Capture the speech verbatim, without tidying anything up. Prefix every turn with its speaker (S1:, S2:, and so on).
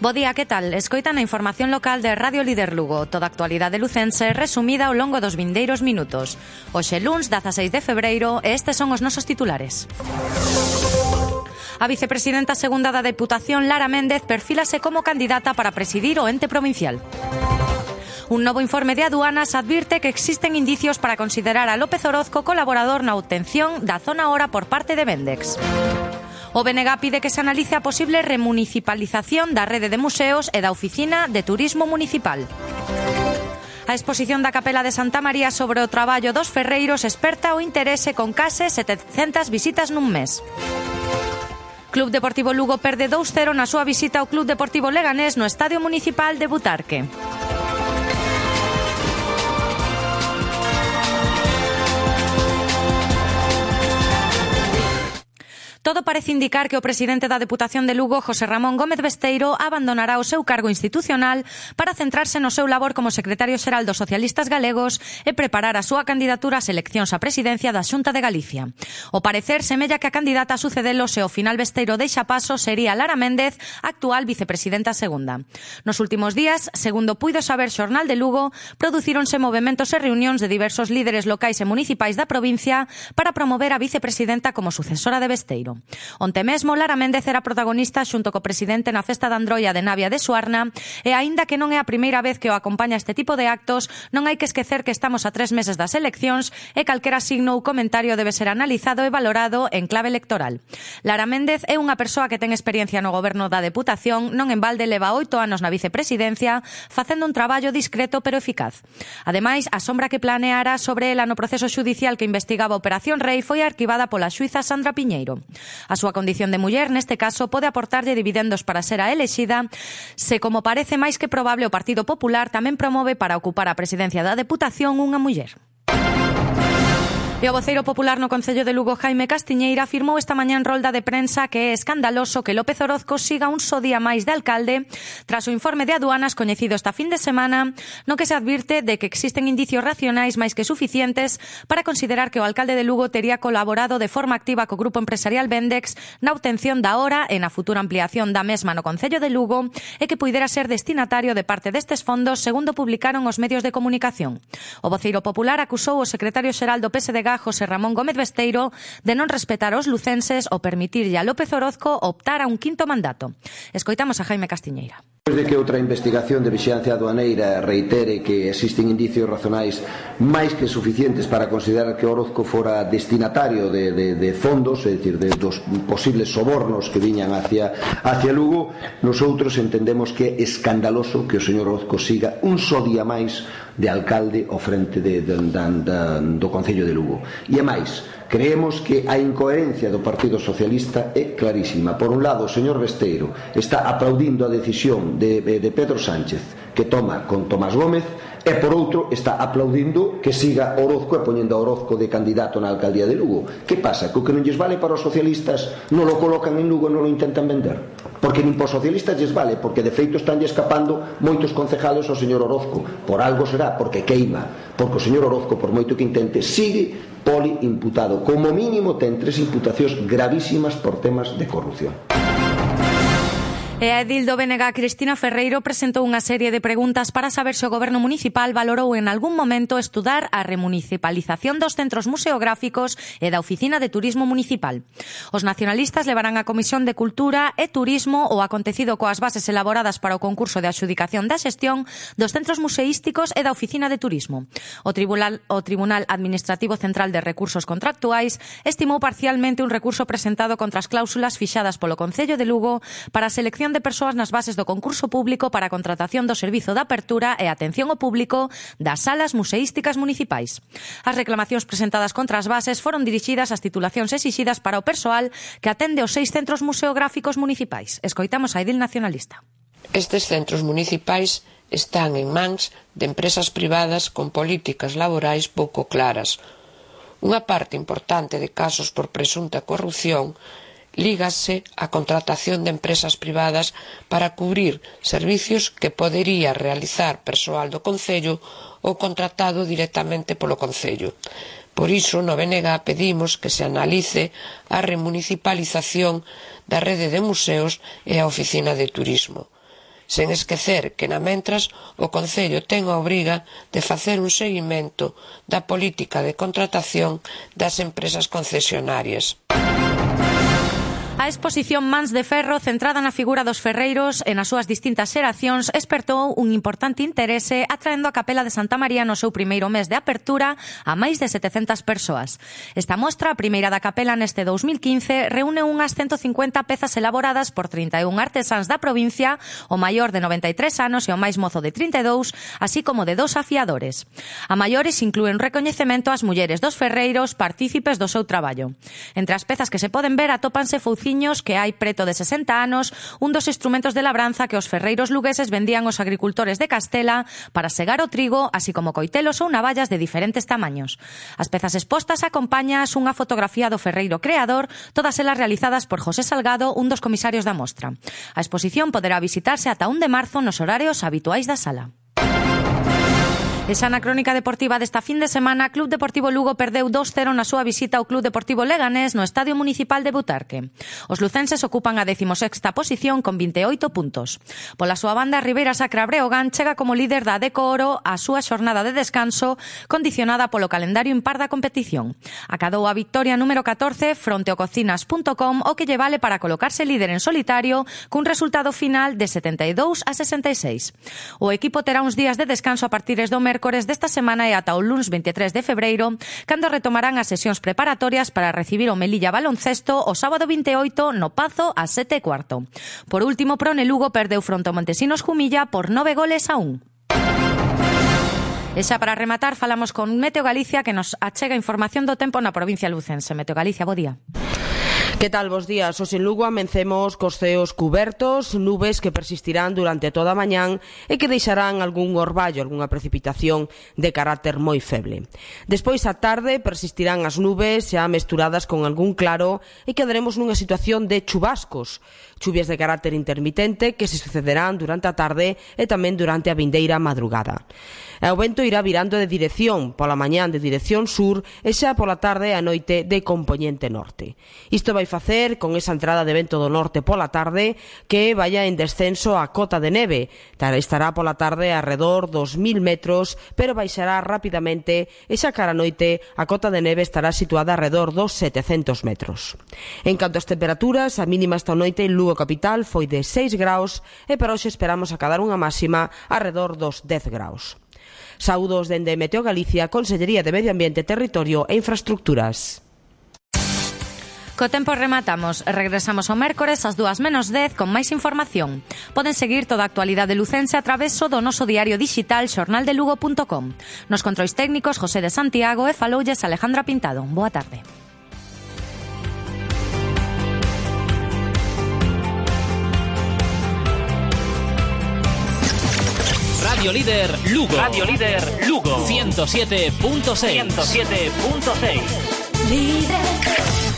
S1: Bo día, que tal? Escoitan a información local de Radio Líder Lugo. Toda a actualidade lucense resumida ao longo dos vindeiros minutos. Hoxe luns, dezaseis de febreiro, e estes son os nosos titulares. A vicepresidenta segunda da Deputación, Lara Méndez, perfílase como candidata para presidir o ente provincial. Un novo informe de aduanas advirte que existen indicios para considerar a López Orozco colaborador na obtención da zona hora por parte de Vendex. O B N G pide que se analice a posible remunicipalización da rede de museos e da Oficina de Turismo Municipal. A exposición da Capela de Santa María sobre o traballo dos ferreiros esperta o interese con case setecentas visitas nun mes. Club Deportivo Lugo perde dous cero na súa visita ao Club Deportivo Leganés no Estadio Municipal de Butarque. Todo parece indicar que o presidente da Deputación de Lugo, José Ramón Gómez Besteiro, abandonará o seu cargo institucional para centrarse no seu labor como secretario xeral dos socialistas galegos e preparar a súa candidatura ás eleccións á presidencia da Xunta de Galicia. O parecer semella que a candidata a sucedelo se ao final Besteiro deixa paso sería Lara Méndez, actual vicepresidenta segunda. Nos últimos días, segundo puido saber Xornal de Lugo, producíronse movementos e reunións de diversos líderes locais e municipais da provincia para promover a vicepresidenta como sucesora de Besteiro. Onte mesmo, Lara Méndez era protagonista xunto co presidente na festa de Androia de Navia de Suarna e, aínda que non é a primeira vez que o acompaña este tipo de actos, non hai que esquecer que estamos a tres meses das eleccións e calquera signo ou comentario debe ser analizado e valorado en clave electoral. Lara Méndez é unha persoa que ten experiencia no goberno da Deputación, non en balde leva oito anos na vicepresidencia, facendo un traballo discreto pero eficaz. Ademais, a sombra que planeara sobre ela no proceso xudicial que investigaba a Operación Rei foi arquivada pola xuíza Sandra Piñeiro. A súa condición de muller, neste caso, pode aportarlle dividendos para ser a elexida, se, como parece máis que probable, o Partido Popular tamén promove para ocupar a presidencia da Deputación unha muller. E o voceiro popular no Concello de Lugo, Jaime Castiñeira, afirmou esta mañá en rolda de prensa que é escandaloso que López Orozco siga un só día máis de alcalde tras o informe de aduanas coñecido esta fin de semana, no que se advirte de que existen indicios racionais máis que suficientes para considerar que o alcalde de Lugo tería colaborado de forma activa co grupo empresarial Vendex na obtención da hora e na futura ampliación da mesma no Concello de Lugo e que puidera ser destinatario de parte destes fondos, segundo publicaron os medios de comunicación. O voceiro popular acusou o secretario xeral do P S D G, José Ramón Gómez Besteiro, de non respetar os lucenses ou permitirlle a López Orozco optar a un quinto mandato. Escoitamos a Jaime Castiñeira.
S2: Despois de que outra investigación de vixilancia aduaneira reitere que existen indicios razonais máis que suficientes para considerar que Orozco fora destinatario de, de, de fondos, é dicir, de, dos posibles sobornos que viñan hacia, hacia Lugo, nosotros entendemos que é escandaloso que o señor Orozco siga un só día máis de alcalde ao frente de, de, de, de, do Concello de Lugo. E é máis, creemos que a incoherencia do Partido Socialista é clarísima. Por un lado, o señor Besteiro está aplaudindo a decisión de, de Pedro Sánchez que toma con Tomás Gómez e, por outro, está aplaudindo que siga Orozco e poñendo a Orozco de candidato na alcaldía de Lugo. Que pasa? Que o que non lles vale para os socialistas non lo colocan en Lugo e non lo intentan vender? Porque nin para os socialistas lles vale, porque de feito están escapando moitos concejales ao señor Orozco. Por algo será, porque queima. Porque o señor Orozco, por moito que intente, sigue poli imputado. Como mínimo ten tres imputacións gravísimas por temas de corrupción.
S1: E a edil do B N G, Cristina Ferreiro, presentou unha serie de preguntas para saber se o goberno municipal valorou en algún momento estudar a remunicipalización dos centros museográficos e da Oficina de Turismo Municipal. Os nacionalistas levarán á Comisión de Cultura e Turismo o acontecido coas bases elaboradas para o concurso de adxudicación da xestión dos centros museísticos e da Oficina de Turismo. O Tribunal, o Tribunal Administrativo Central de Recursos Contractuais estimou parcialmente un recurso presentado contra as cláusulas fixadas polo Concello de Lugo para a selección de persoas nas bases do concurso público para a contratación do servizo de apertura e atención ao público das salas museísticas municipais. As reclamacións presentadas contra as bases foron dirixidas ás titulacións exixidas para o persoal que atende os seis centros museográficos municipais. Escoitamos a edil nacionalista.
S3: Estes centros municipais están en mans de empresas privadas con políticas laborais pouco claras. Unha parte importante de casos por presunta corrupción lígase á contratación de empresas privadas para cubrir servicios que podería realizar persoal do Concello ou contratado directamente polo Concello. Por iso, no B N G pedimos que se analice a remunicipalización da rede de museos e a Oficina de Turismo. sen esquecer que, na mentras, o Concello ten a obriga de facer un seguimento da política de contratación das empresas concesionarias.
S1: A exposición Mans de Ferro, centrada na figura dos ferreiros e nas súas distintas xeracións, espertou un importante interese atraendo a Capela de Santa María no seu primeiro mes de apertura a máis de setecentas persoas. Esta mostra, a primeira da Capela neste dous mil quince, reúne unhas ciento cincuenta pezas elaboradas por trinta e un artesáns da provincia, o maior de noventa e tres anos e o máis mozo de trinta e dous, así como de dos afiadores. A maiores inclúen recoñecemento ás mulleres dos ferreiros partícipes do seu traballo. Entre as pezas que se poden ver atópanse fouciños que hai preto de sesenta anos, un dos instrumentos de labranza que os ferreiros lugueses vendían aos agricultores de Castela para segar o trigo, así como coitelos ou navallas de diferentes tamaños. As pezas expostas acompañas unha fotografía do ferreiro creador, todas elas realizadas por José Salgado, un dos comisarios da mostra. A exposición poderá visitarse ata un de marzo nos horarios habituais da sala. E xa na crónica deportiva desta fin de semana, Club Deportivo Lugo perdeu dos cero na súa visita ao Club Deportivo Leganés no Estadio Municipal de Butarque. Os lucenses ocupan a decimosexta posición con vinte e oito puntos. Pola súa banda, Ribeira Sacra Breogán chega como líder da Adeco Oro a súa xornada de descanso, condicionada polo calendario impar da competición. Acadou a victoria número catorce fronte ao cocinas punto com, o que lle vale para colocarse líder en solitario cun resultado final de setenta e dous a sesenta e seis. O equipo terá uns días de descanso a partir do mércores desta semana e ata o luns vinte e tres de febreiro, cando retomarán as sesións preparatorias para recibir o Melilla Baloncesto o sábado vinte e oito no Pazo a sete e cuarto. Por último, Prone Lugo perdeu fronte ao Montesinos Jumilla por nove goles a un. E xa para rematar, falamos con Meteo Galicia, que nos achega información do tempo na provincia lucense. Meteo Galicia, bo día.
S4: Que tal, bos días? Os en Lugo amencemos cos ceos cubertos, nubes que persistirán durante toda a mañán e que deixarán algún orballo, algunha precipitación de carácter moi feble. Despois, á tarde, persistirán as nubes xa mesturadas con algún claro e quedaremos nunha situación de chubascos, chuvias de carácter intermitente que se sucederán durante a tarde e tamén durante a vindeira madrugada. E o vento irá virando de dirección, pola mañán de dirección sur e xa pola tarde e a noite de compoñente norte. Isto vai facer con esa entrada de vento do norte pola tarde que vaya en descenso a cota de neve. Estará pola tarde arredor dos mil metros, pero baixará rapidamente e xa cara a noite a cota de neve estará situada arredor dos setecentos metros. En canto ás temperaturas, a mínima esta noite en Lugo capital foi de seis graus e para hoxe esperamos acadar unha máxima arredor dos dez graus. Saúdos dende Meteo Galicia, Consellería de Medio Ambiente, Territorio e Infraestructuras.
S1: Co tempo rematamos. Regresamos o mércores ás dúas menos dez con máis información. Poden seguir toda a actualidade lucense a traveso do noso diario digital xornal de lugo punto com. Nos controis técnicos José de Santiago e faloulles Alejandra Pintado. Boa tarde.
S5: Radio Líder Lugo. Radio Líder Lugo. ciento siete punto seis. ciento siete punto seis. Líder.